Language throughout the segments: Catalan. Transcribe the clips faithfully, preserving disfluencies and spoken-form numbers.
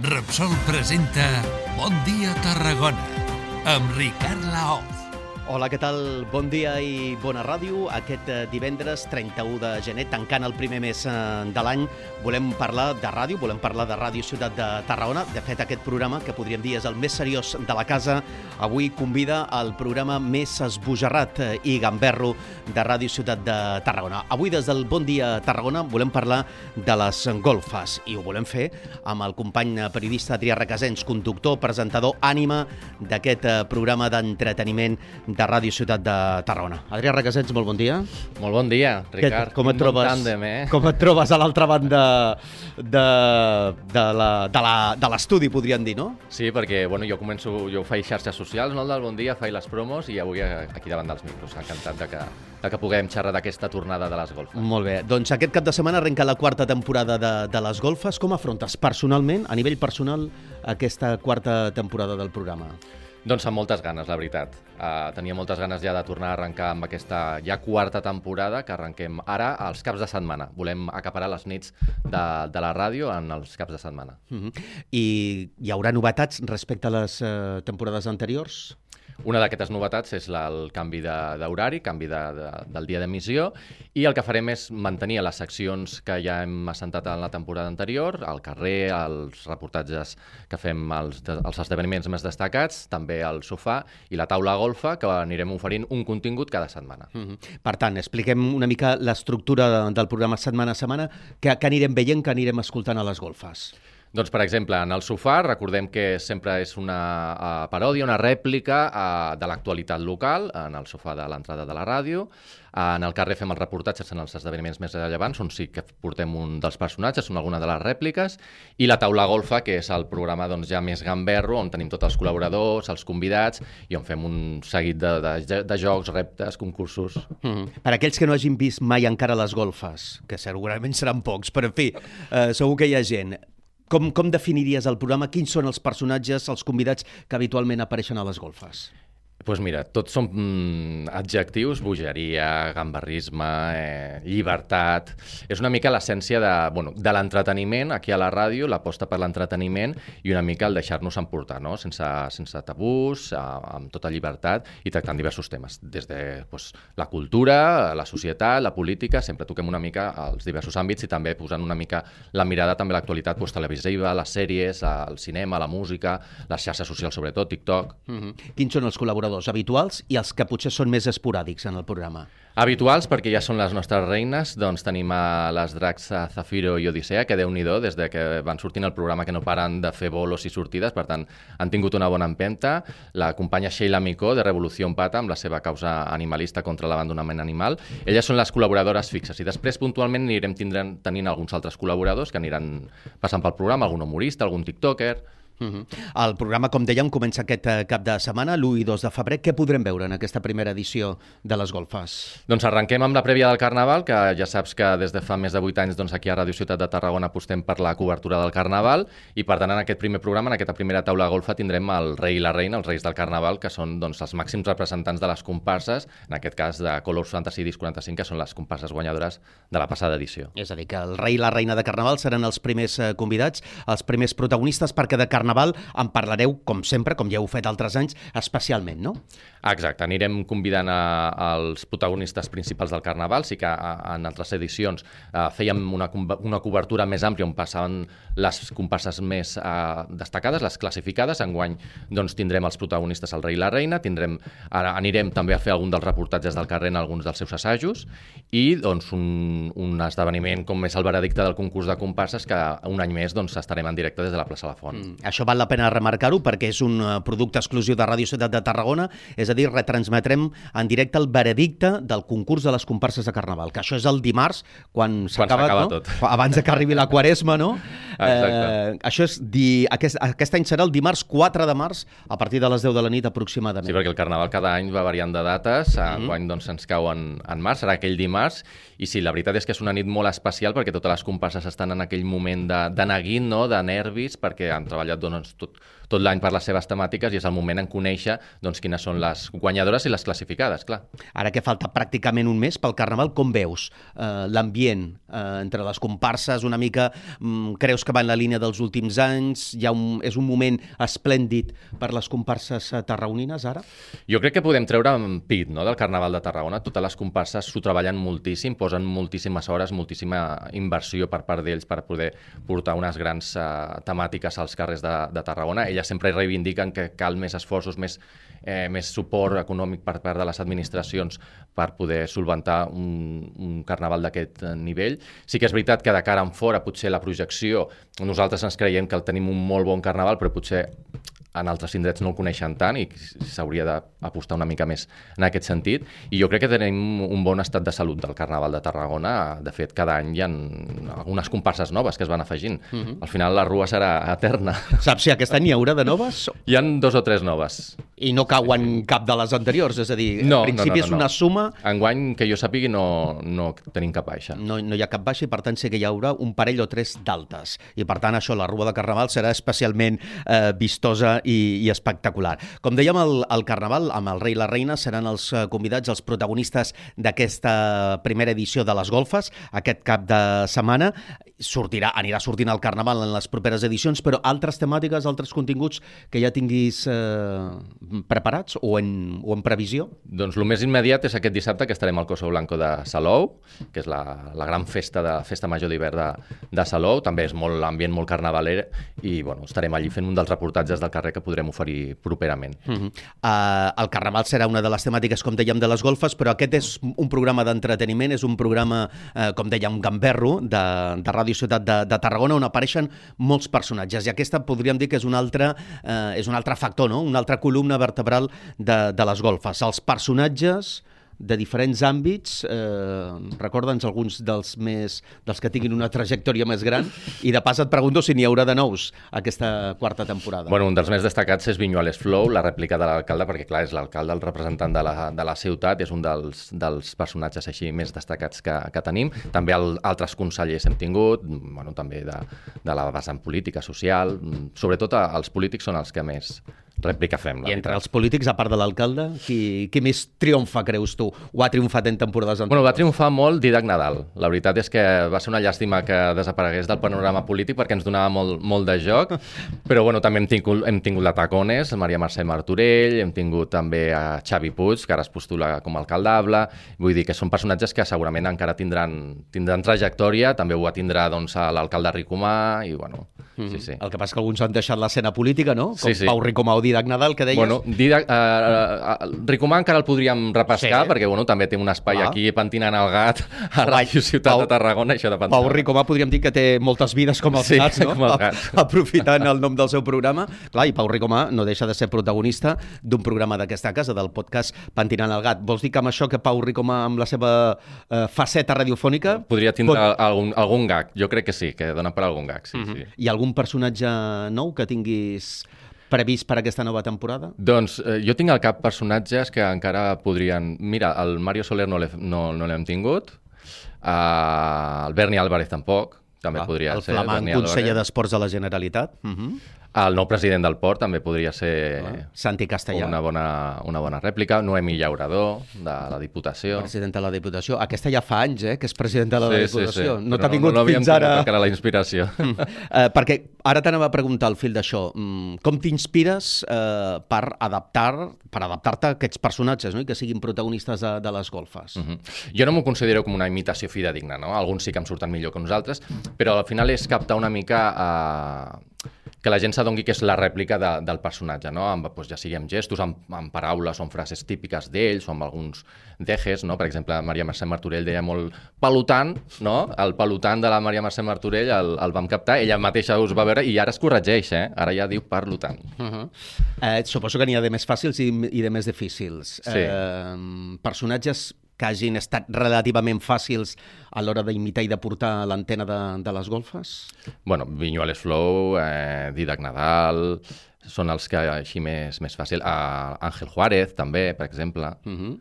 Repsol presenta Bon dia Tarragona amb Ricard Laoz. Hola, què tal? Bon dia i bona ràdio. Aquest divendres trenta-u de gener, tancant el primer mes de l'any, volem parlar de ràdio, volem parlar de Ràdio Ciutat de Tarragona. De fet, aquest programa, que podríem dir és el més seriós de la casa, avui convida al programa més esbojarrat i gamberro de Ràdio Ciutat de Tarragona. Avui, des del Bon dia Tarragona, volem parlar de les golfes i ho volem fer amb el company periodista Adrià Requesens, conductor, presentador, ànima d'aquest programa d'entreteniment de Ràdio Ciutat de Tarragona. Adrià Requesens, molt bon dia. Molt bon dia, Ricard. Com et trobes, tàndem, eh? com et trobes a l'altra banda de, de, la, de, la, de l'estudi, podríem dir, no? Sí, perquè bueno, jo començo, jo faig xarxes socials, no el del Bon Dia, faig les promos i avui aquí davant dels micros. Encantat de que, de que puguem xerrar d'aquesta tornada de les golfes. Molt bé. Doncs aquest cap de setmana arrenca la quarta temporada de, de les golfes. Com afrontes personalment, a nivell personal, aquesta quarta temporada del programa? Doncs amb moltes ganes, la veritat. Uh, tenia moltes ganes ja de tornar a arrencar amb aquesta ja quarta temporada que arrenquem ara als caps de setmana. Volem acaparar les nits de, de la ràdio en els caps de setmana. Uh-huh. I hi haurà novetats respecte a les uh, temporades anteriors? Una d'aquestes novetats és la, el canvi d'horari, canvi de, de, del dia d'emissió, i el que farem és mantenir les seccions que ja hem assentat en la temporada anterior, al carrer, els reportatges que fem, els, els esdeveniments més destacats, també el sofà i la taula golfa, que anirem oferint un contingut cada setmana. Uh-huh. Per tant, expliquem una mica l'estructura de, del programa setmana a setmana, que, que anirem veient, que anirem escoltant a les golfes. Doncs, per exemple, en el sofà, recordem que sempre és una uh, paròdia, una rèplica uh, de l'actualitat local, en el sofà de l'entrada de la ràdio. Uh, en el carrer fem els reportatges en els esdeveniments més rellevants, on sí que portem un dels personatges, són alguna de les rèpliques, i la taula golfa, que és el programa doncs, ja més gamberro, on tenim tots els col·laboradors, els convidats, i on fem un seguit de, de, de jocs, reptes, concursos. Mm-hmm. Per aquells que no hagin vist mai encara les golfes, que segurament seran pocs, però en fi, uh, segur que hi ha gent. Com, com definiries el programa? Quins són els personatges, els convidats que habitualment apareixen a les golfes? Doncs pues mira, tots són mm, adjectius, bogeria, gamberrisme, eh, llibertat. És una mica l'essència de, bueno, de l'entreteniment aquí a la ràdio, l'aposta per l'entreteniment i una mica el deixar-nos emportar, no? sense, sense tabús, eh, amb tota llibertat i tractant diversos temes. Des de pues, la cultura, la societat, la política, sempre toquem una mica els diversos àmbits i també posant una mica la mirada també a l'actualitat pues, televisiva, les sèries, el cinema, la música, les xarxes socials sobretot, TikTok. Mm-hmm. Quins són els col·laboradors habituals i els que potser són més esporàdics en el programa? Habituals, perquè ja són les nostres reines, doncs tenim a les dracs a Zafiro i Odissea, que déu-n'hi-do, des de que van sortint el programa que no paren de fer bolos i sortides, per tant, han tingut una bona empenta. La companya Sheila Micó, de Revolució Pata, amb la seva causa animalista contra l'abandonament animal. Elles són les col·laboradores fixes, i després puntualment anirem tindrent, tenint alguns altres col·laboradors que aniran passant pel programa, algun humorista, algun tiktoker. Uh-huh. El programa, com dèiem, comença aquest cap de setmana, l'u i dos de febrer. Què podrem veure en aquesta primera edició de les golfes? Doncs arrenquem amb la prèvia del Carnaval, que ja saps que des de fa més de vuit anys doncs, aquí a Ràdio Ciutat de Tarragona apostem per la cobertura del Carnaval i per tant en aquest primer programa, en aquesta primera taula golfa, tindrem el rei i la reina, els reis del Carnaval, que són doncs, els màxims representants de les comparses, en aquest cas de Colors Fantasy Disc quaranta-cinc, que són les comparses guanyadores de la passada edició. És a dir, que el rei i la reina de Carnaval seran els primers eh, convidats, els primers protagonistes, perquè de Carnaval en parlareu, com sempre, com ja heu fet altres anys, especialment, no? Exacte, anirem convidant a, als protagonistes principals del Carnaval. Sí que a, en altres edicions a, fèiem una, una cobertura més àmplia on passaven les comparses més a, destacades, les classificades. Enguany doncs, tindrem els protagonistes, el rei i la reina, tindrem, ara anirem també a fer algun dels reportatges del carrer en alguns dels seus assajos i doncs, un, un esdeveniment com és el veredicte del concurs de comparses que un any més doncs, estarem en directe des de la plaça La Font. Mm, això val la pena remarcar-ho perquè és un producte exclusiu de Ràdio Ciutat de Tarragona, és a dir, retransmetrem en directe el veredicte del concurs de les comparses de Carnaval, que això és el dimarts, quan s'acaba, no? Tot. Abans que arribi la Quaresma, no? Exacte. Eh, això és di... aquest, aquest any serà el dimarts quatre de març, a partir de les deu de la nit aproximadament. Sí, perquè el Carnaval cada any va variant de dates, mm-hmm. enguany doncs, ens cau en, en març, serà aquell dimarts, i sí, la veritat és que és una nit molt especial perquè totes les comparses estan en aquell moment de, de neguit, no? De nervis, perquè han treballat doncs, tot tot l'any per les seves temàtiques i és el moment en conèixer doncs, quines són les guanyadores i les classificades, clar. Ara que falta pràcticament un mes pel Carnaval, com veus eh, l'ambient eh, entre les comparses? Una mica, mm, creus que va en la línia dels últims anys? Hi ha un, és un moment esplèndid per les comparses tarragonines, ara? Jo crec que podem treure en pit, no?, del Carnaval de Tarragona. Totes les comparses s'ho treballen moltíssim, posen moltíssimes hores, moltíssima inversió per part d'ells per poder portar unes grans uh, temàtiques als carrers de, de Tarragona. Elles sempre reivindiquen que cal més esforços, més, eh, més suport econòmic per part de les administracions per poder solventar un, un carnaval d'aquest nivell. Sí que és veritat que de cara en fora, potser la projecció, nosaltres ens creiem que tenim un molt bon carnaval, però potser en altres indrets no el coneixen tant i s'hauria d'apostar una mica més en aquest sentit. I jo crec que tenim un bon estat de salut del Carnaval de Tarragona. De fet, cada any hi ha algunes comparses noves que es van afegint. Uh-huh. Al final la rua serà eterna. Saps si aquest any hi haurà de noves? Hi ha dos o tres noves. I no cauen cap de les anteriors? És a dir, no, en principi no, no, no, és una suma... Enguany, que jo sàpigui, no, no tenim cap baixa. No, no hi ha cap baixa i, per tant, sí que hi haurà un parell o tres d'altes. I, per tant, això, la rua de Carnaval serà especialment eh, vistosa i, i espectacular. Com dèiem, el, el Carnaval, amb el rei i la reina, seran els convidats, els protagonistes d'aquesta primera edició de les golfes, aquest cap de setmana. Sortirà, anirà sortint el Carnaval en les properes edicions, però altres temàtiques, altres continguts que ja tinguis eh, preparats o en, o en previsió? Doncs el més immediat és aquest dissabte que estarem al Coso Blanco de Salou, que és la, la gran festa de festa major d'hivern de, de Salou. També és molt ambient, molt carnavaler, i bueno, estarem allí fent un dels reportatges del carrer que podrem oferir properament. Uh-huh. uh, el Carnaval serà una de les temàtiques, com dèiem, de les golfes, però aquest és un programa d'entreteniment, és un programa, uh, com dèiem, gamberro, de, de Ràdio Ciutat de, de Tarragona, on apareixen molts personatges, i aquesta podríem dir que és un altre, uh, és un altre factor, no? Una altra columna vertebral de, de les golfes. Els personatges de diferents àmbits, eh, recorda'ns alguns dels més dels que tinguin una trajectòria més gran, i de pas et pregunto si n'hi haurà de nous aquesta quarta temporada. Bueno, un dels més destacats és Viñuales Flow, la rèplica de l'alcalde, perquè clar, és l'alcalde, el representant de la, de la ciutat, és un dels, dels personatges així més destacats que, que tenim. També el, altres consellers hem tingut, bueno, també de, de la vessant política, social, sobretot els polítics són els que més rèplica fem. I entre els polítics, a part de l'alcalde, qui, qui més triomfa, creus tu? O ha triomfat en temporades anteriors? Bueno, va triomfar molt Dídac Nadal. La veritat és que va ser una llàstima que desaparegués del panorama polític perquè ens donava molt, molt de joc, però bueno, també hem tingut, hem tingut la Tacones, Maria Mercè Martorell, hem tingut també a Xavi Puig, que ara es postula com a alcaldable. Vull dir que són personatges que segurament encara tindran, tindran trajectòria, també ho tindrà doncs, l'alcalde Ricomà, i bueno... Mm. Sí, sí. El que passa és que alguns han deixat l'escena política, no? Com sí, sí. Pau Ricomà o Dídac Nadal, que deies. Bueno, Dídac, eh, eh, Ricomà encara el podríem repescar, sí, perquè bueno, també té un espai ah. aquí pentinant el gat a Ràdio Ciutat Pau, de Tarragona. Això de Pau Ricomà podríem dir que té moltes vides com els sí, gats, no? Com els gats. Aprofitant el nom del seu programa. Clar, i Pau Ricomà no deixa de ser protagonista d'un programa d'aquesta casa, del podcast Pentinant el gat. Vols dir que amb això que Pau Ricomà, amb la seva eh, faceta radiofònica... Podria tindre pot... algun, algun gag. Jo crec que sí, que dona per algun gag, sí, uh-huh. sí. I algun personatge nou que tinguis previst per aquesta nova temporada? Doncs eh, jo tinc al cap personatges que encara podrien... Mira, el Mario Soler no l'hem no, no tingut, uh, el Berni Álvarez tampoc, també ah, podria el ser. El flamant conseller d'Esports de la Generalitat. Uh-huh. El nou president del Port també podria ser ah, Santi Castellà. Una bona, una bona rèplica. Noemi Llaurador, de la Diputació. Presidenta de la Diputació. Aquesta ja fa anys, eh, que és presidenta de la sí, Diputació. Sí, sí. No t'ha vingut no, no fins ara... No la inspiració. Mm. Uh, perquè ara t'anava a preguntar al fil d'això. Mm, com t'inspires uh, per adaptar per adaptar-te a aquests personatges, no? I que siguin protagonistes de, de les golfes? Uh-huh. Jo no m'ho considero com una imitació fidedigna, no? Alguns sí que em surten millor que nosaltres, però al final és captar una mica... Uh... que la gent s'adongui que és la rèplica de, del personatge, no? Amb, doncs ja sigui amb gestos, amb, amb paraules o amb frases típiques d'ells, o amb alguns dejes, no? Per exemple, Maria Mercè Martorell deia molt pelotant, no? El pelotant de la Maria Mercè Martorell el, el vam captar, ella mateixa us va veure i ara es corregeix, eh? Ara ja diu pelotant. Uh-huh. eh, suposo que n'hi ha de més fàcils i, i de més difícils. Sí. Eh, personatges que hagin estat relativament fàcils a l'hora d'imitar i de portar l'antena de, de les golfes? Bueno, Viñuales Flow, eh, Dídac Nadal, són els que així més, més fàcil. Uh, Ángel Juárez, també, per exemple. Uh-huh.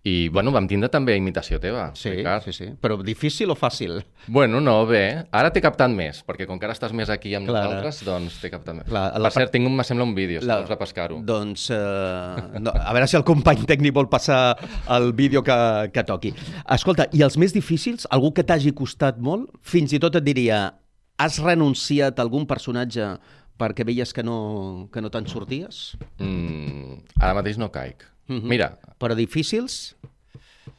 I, bueno, vam tindre també imitació teva, Sí, Ricard. sí, sí. Però difícil o fàcil? Bueno, no, bé. Ara t'he captat més, perquè com que ara estàs més aquí amb Clar. nosaltres, doncs t'he captat més. Clar, per la- cert, tinc, un- me sembla un vídeo, si La- vols repescar-ho. Doncs, eh, no, a veure si el company tècnic vol passar el vídeo que, que toqui. Escolta, i els més difícils, algú que t'hagi costat molt, fins i tot et diria, has renunciat a algun personatge perquè veies que no, que no te'n sorties? Mm, ara mateix no caic. Mhm. Mira, Però difícils?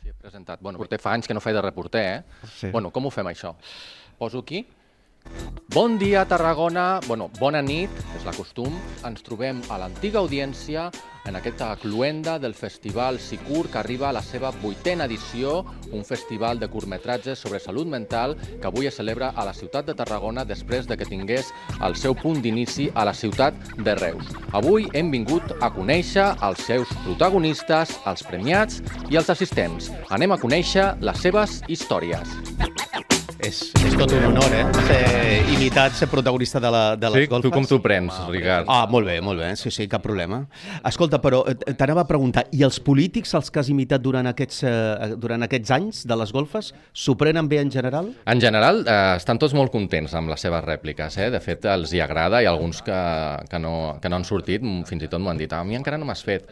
sí, he presentat. Bueno, porter fa anys que no faig de reporter, eh? Sí. Bueno, com ho fem, això? Poso aquí. Bon dia, Tarragona. Bueno, bona nit, és la costum. Ens trobem a l'antiga audiència en aquesta cluenda del Festival Sicur, que arriba a la seva vuitena edició, un festival de curtmetratges sobre salut mental que avui es celebra a la ciutat de Tarragona després de que tingués el seu punt d'inici a la ciutat de Reus. Avui hem vingut a conèixer els seus protagonistes, els premiats i els assistents. Anem a conèixer les seves històries. És, és tot un honor, eh? Ser imitat, ser protagonista de, la, de les Sí, golfes. tu com t'ho prens, Ricard? Ah, molt bé, molt bé, sí, sí, cap problema. Escolta, però eh, t'anava a preguntar, i els polítics, els que has imitat durant aquests, eh, durant aquests anys de les golfes, s'ho prenen bé en general? En general, eh, estan tots molt contents amb les seves rèpliques, eh? De fet, els hi agrada, i alguns que, que, no, que no han sortit, m- fins i tot m'ho han dit, a mi encara no m'has fet.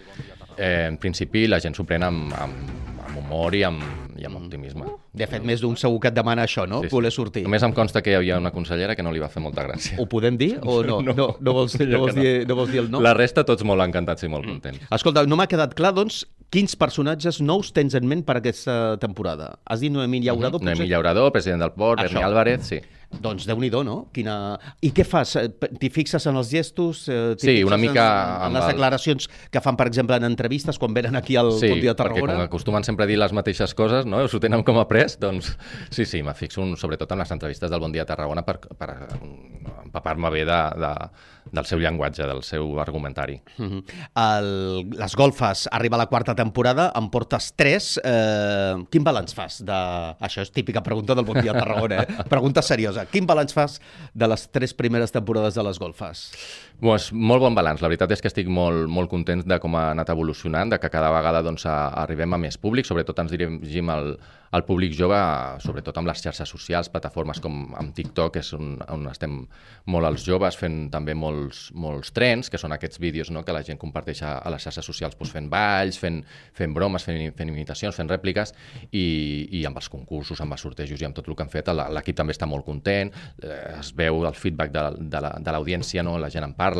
Eh, en principi, la gent s'ho pren amb, amb, amb humor i amb, i amb optimisme. De fet, més d'un segur que et demana això, no? Sí, sí. Voler sortir. Només em consta que hi havia una consellera que no li va fer molta gràcia. Ho podem dir o no? No, no, no, vols, no, vols, dir, no vols dir el no? La resta, tots molt encantats i molt contents. Escolta, no m'ha quedat clar, doncs, quins personatges nous tens en ment per aquesta temporada? Has dit Noemí Llaurador? potser? Noemí Llaurador, president del Port, Això. Berni Álvarez, sí. Doncs Déu-n'hi-do, no? Quina... I què fas? Eh, T'hi fixes en els gestos? Eh, t'hi Sí, fixes una mica En, en amb les el- declaracions que fan, per exemple, en entrevistes, quan venen aquí al Sí, Bon Dia perquè com Tarragona? acostumen sempre a dir les mateixes coses, no? S'ho tenen com a pres, doncs sí, sí, me fixo un, sobretot en les entrevistes del Bon Dia Tarragona per, per empapar-me bé de, de, del seu llenguatge, del seu argumentari. Mhm. El, les golfes arriba a la quarta temporada, en portes tres. Eh, quin balanç fas de... Això és típica pregunta del Bon Dia Tarragona, eh? Pregunta seriosa. Quin balanç fas de les tres primeres temporades de les golfes? Pues, molt bon balanç. La veritat és que estic molt, molt content de com ha anat evolucionant, de que cada vegada doncs, a, arribem a més públic, sobretot ens dirigim al, al públic jove, sobretot amb les xarxes socials, plataformes com amb TikTok, que és on, on estem molt els joves, fent també molts, molts trends, que són aquests vídeos, no?, que la gent comparteix a, a les xarxes socials, doncs, fent balls, fent, fent bromes, fent, fent imitacions, fent rèpliques, i, i amb els concursos, amb els sortejos i amb tot el que han fet, l'equip també està molt content, eh, es veu el feedback de, de la- de l'audiència, no?, la gent en parla.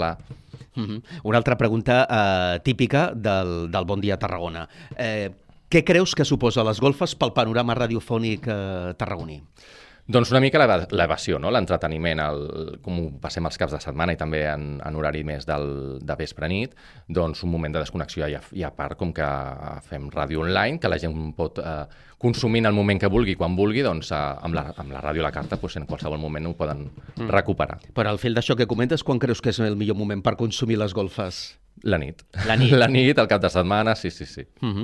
Mhm. Una altra pregunta eh, típica del, del Bon Dia Tarragona. Eh, què creus que suposa les golfes pel panorama radiofònic eh, tarragoní? Doncs una mica l'eva- l'evasió, no? L'entreteniment, el, com ho passem els caps de setmana i també en, en horari més del, de vespre-nit, doncs un moment de desconnexió i a, i a part com que fem ràdio online, que la gent pot eh, consumir en el moment que vulgui, quan vulgui, doncs eh, amb, la, amb la ràdio a la carta doncs, en qualsevol moment ho poden mm. recuperar. Per al fil d'això que comentes, quan creus que és el millor moment per consumir les golfes? La nit. La nit. La nit, el cap de setmana, sí, sí, sí. Mhm.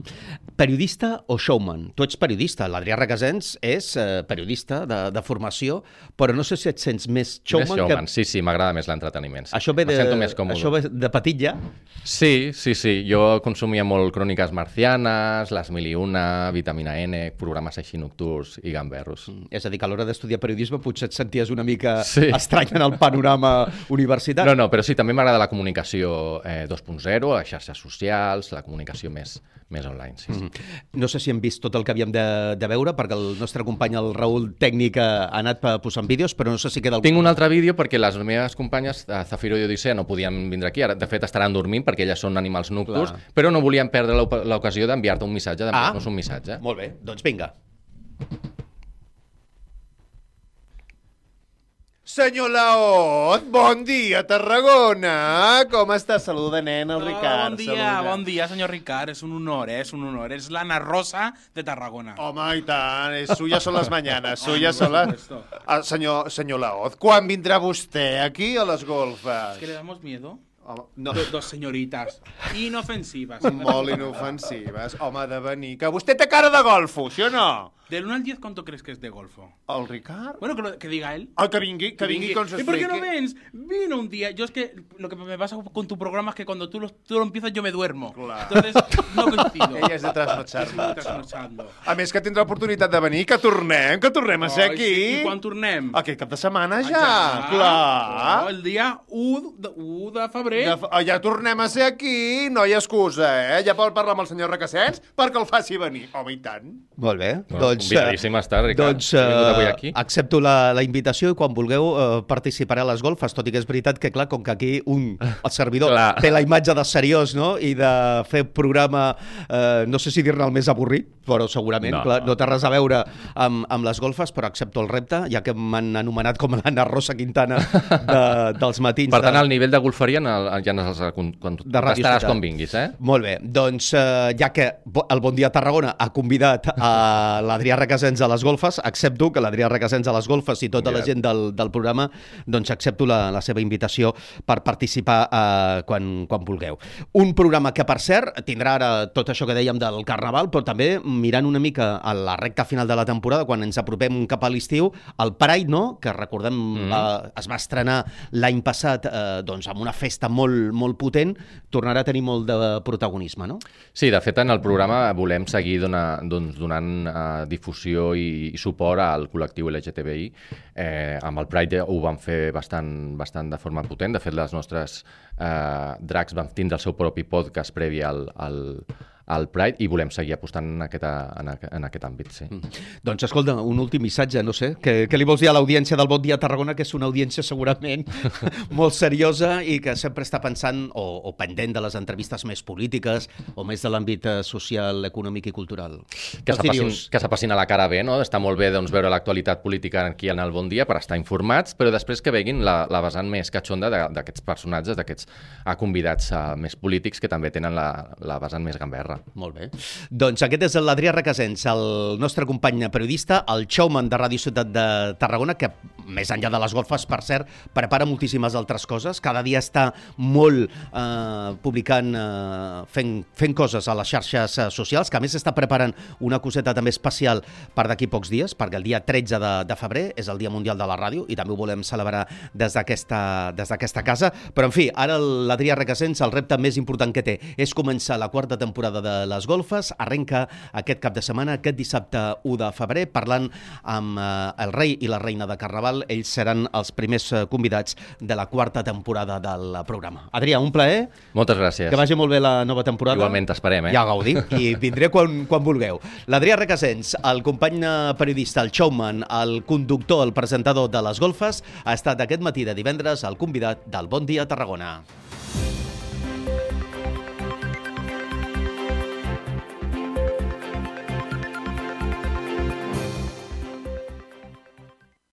Periodista o showman? Tu ets periodista, l'Adrià Requesens és eh, periodista de, de formació, però no sé si et sents més showman, Més showman, que... sí, sí, m'agrada més l'entreteniment. Sí. Això ve Me de, sento més còmode. això ve de petit ja? Sí, sí, sí. Jo consumia molt Cròniques Marcianes, Les Mil i Una, Vitamina N, programes així nocturns i gamberros. És a dir, que a l'hora d'estudiar periodisme potser et senties una mica Sí. estrany en el panorama universitari. No, no, però sí, també m'agrada la comunicació eh, dos punt zero, les xarxes socials, la comunicació més, més online. Sí, sí. No sé si hem vist tot el que havíem de, de veure, perquè el nostre company, el Raül Tècnic, ha anat pa- posant vídeos, però no sé si queda... Tinc un altre vídeo perquè les meves companyes, eh, Zafiro i Odissea, no podien vindre aquí. Ara, de fet, estaran dormint perquè elles són animals nocturns, Clar. però no volien perdre l'oc- l'ocasió d'enviar-te un missatge, d'enviar-nos Ah. un missatge. Molt bé, doncs vinga. Senyor Laot, bon dia, Tarragona. Com està? Saluda, nen, el Hola, Ricard. bon dia, saluda. bon dia, senyor Ricard. És un honor, eh? És un honor. És l'Anna Rosa de Tarragona. Home, i tant, és suyas son les mañanas, suyas son les... supuesto. Ah, senyor, senyor Laot, quan vindrà vostè aquí a les golfes? ¿Que le damos miedo? Home, no, Do- dos señoritas. Inofensivas. molt inofensives. Home, de venir. Que vostè té cara de golfo, sí o no? Del uno al diez, ¿cuánto crees que es de golfo? El Ricard? Bueno, que, lo, que diga él. Ah, que vingui, que vingui, que ens ¿Y por qué expliqui. no vens? Vino un día. Yo es que lo que me pasa con tu programa es que cuando tú lo, tú lo empiezas yo me duermo. Clar. Entonces no coincido. Ella és de trasnotxar. Sí, trasnochando. A més que tindrà l'oportunitat de venir, que tornem, que tornem a ser Ai, aquí. sí. I quan tornem? Aquest cap de setmana ja, Ah, clar. Oh, el dia u de, u de febrer. Ja, fa- ja tornem a ser aquí, no hi ha excusa, eh? Ja pot parlar amb el senyor Requesens perquè el faci venir. Home, i tant. Molt bé. No, doncs, convidadíssim a estar, Ricard. doncs He vingut avui eh, aquí. accepto la, la invitació i quan vulgueu eh, participaré a les golfes, tot i que és veritat que, clar, com que aquí un, el servidor, Clar. té la imatge de seriós, no?, i de fer programa, eh, no sé si dir-ne el més avorrit, però segurament, No, no, clar, no. no té res a veure amb, amb les golfes, però accepto el repte, ja que m'han anomenat com l'Anna Rosa Quintana de, dels matins. Per tant, de... al nivell de golferia en- ja no saps quan, quan De Ràdio estaràs Ciutat. quan vinguis, eh? Molt bé, doncs eh, ja que bo- el Bon Dia Tarragona ha convidat a l'Adrià Requesens a les golfes, accepto que l'Adrià Requesens a les golfes i tota la Convidat. gent del, del programa, doncs accepto la, la seva invitació per participar eh, quan, quan vulgueu. Un programa que, per cert, tindrà ara tot això que dèiem del Carnaval, però també mirant una mica a la recta final de la temporada, quan ens apropem cap a l'estiu, el Pride, no?, que recordem Mm. eh, es va estrenar l'any passat eh, doncs amb una festa molt, molt potent, tornarà a tenir molt de protagonisme, no? Sí, de fet, en el programa volem seguir dona, doncs, donant uh, difusió i, i suport al col·lectiu L G T B I. Eh, amb el Pride ho vam fer bastant, bastant de forma potent. De fet, les nostres uh, drags van tindre el seu propi podcast previ al, al, al Pride i volem seguir apostant en aquest, en, aquest- en aquest àmbit, sí. Mm. Doncs escolta, un últim missatge, no sé, què, què li vols dir a l'audiència del Bon Dia Tarragona, que és una audiència segurament molt seriosa i que sempre està pensant o, o pendent de les entrevistes més polítiques o més de l'àmbit eh, social, econòmic i cultural. Que Els s'appassin dius, que s'appassin a la cara bé, no? Està molt bé doncs, veure l'actualitat política aquí en el Bon Dia per estar informats, però després que veguin la, la vessant més catxonda de- d'aquests personatges, d'aquests ah, convidats ah, més polítics que també tenen la, la vessant més gamberra. Molt bé. Doncs aquest és l'Adrià Requesens, el nostre company periodista, el showman de Ràdio Ciutat de Tarragona, que més enllà de les golfes, per cert, prepara moltíssimes altres coses. Cada dia està molt eh, publicant, eh, fent, fent coses a les xarxes eh, socials, que a més està preparant una coseta també especial per d'aquí pocs dies, perquè el dia tretze de, de febrer és el Dia Mundial de la Ràdio i també ho volem celebrar des d'aquesta des d'aquesta casa. Però, en fi, ara l'Adrià Requesens, el repte més important que té és començar la quarta temporada de les golfes. Arrenca aquest cap de setmana, aquest dissabte u de febrer, parlant amb eh, el rei i la reina de Carnaval. Ells seran els primers eh, convidats de la quarta temporada del programa. Adrià, un plaer. Moltes gràcies. Que vagi molt bé la nova temporada. Igualment t'esperem, eh? Ja gaudir, i vindré quan, quan vulgueu. L'Adrià Requesens, el company periodista, el showman, el conductor, el presentador de les golfes, ha estat aquest matí de divendres el convidat del Bon Dia Tarragona.